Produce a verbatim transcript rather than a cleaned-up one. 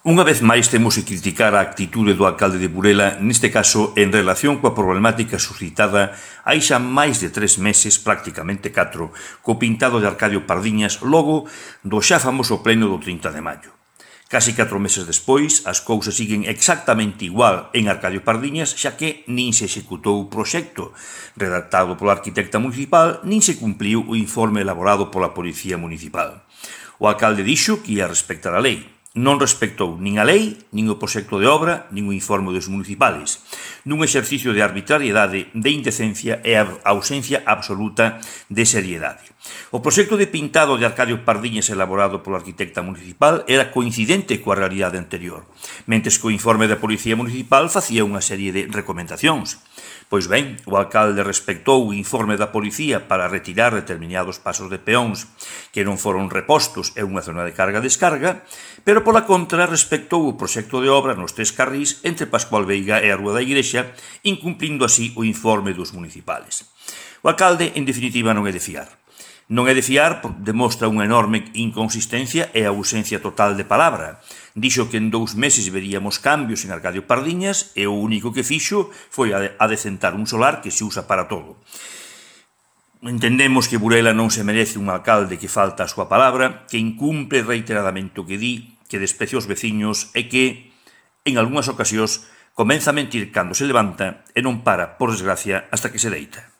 Unha vez máis temos que criticar a actitude do alcalde de Burela, neste caso en relación coa problemática suscitada hai xa máis de tres meses, prácticamente catro, co pintado de Arcadio Pardiñas logo do xa famoso pleno do trinta de maio. Casi catro meses despois, as cousas siguen exactamente igual en Arcadio Pardiñas, xa que nin se executou o proxecto redactado pola arquitecta municipal, nin se cumpliu o informe elaborado pola Policía Municipal. O alcalde dixo que ia respectar a lei. Non respectou nin a lei, nin o proxecto de obra, nin o informe dos municipales, nun exercicio de arbitrariedade, de indecencia e a ausencia absoluta de seriedade. O proxecto de pintado de Arcadio Pardiñas elaborado pola arquitecta municipal era coincidente coa realidade anterior, mentres que o informe da Policía Municipal facía unha serie de recomendacións. Pois ben, o alcalde respectou o informe da policía para retirar determinados pasos de peóns que non foron repostos en unha zona de carga-descarga, pero pola contra respectou o proxecto de obra nos tres carrís entre Pascual Veiga e a Rúa da Igrexa, incumplindo así o informe dos municipales. O alcalde, en definitiva, non é de fiar. Non é de fiar porque demostra unha enorme inconsistencia e a ausencia total de palabra. Dixo que en dous meses veríamos cambios en Arcadio Pardiñas e o único que fixo foi adecentar un solar que se usa para todo. Entendemos que Burela non se merece un alcalde que falta a súa palabra, que incumpre reiteradamente o que di, que desprecia os veciños e que, en algunhas ocasións, comeza a mentir cando se levanta e non para, por desgracia, hasta que se deita.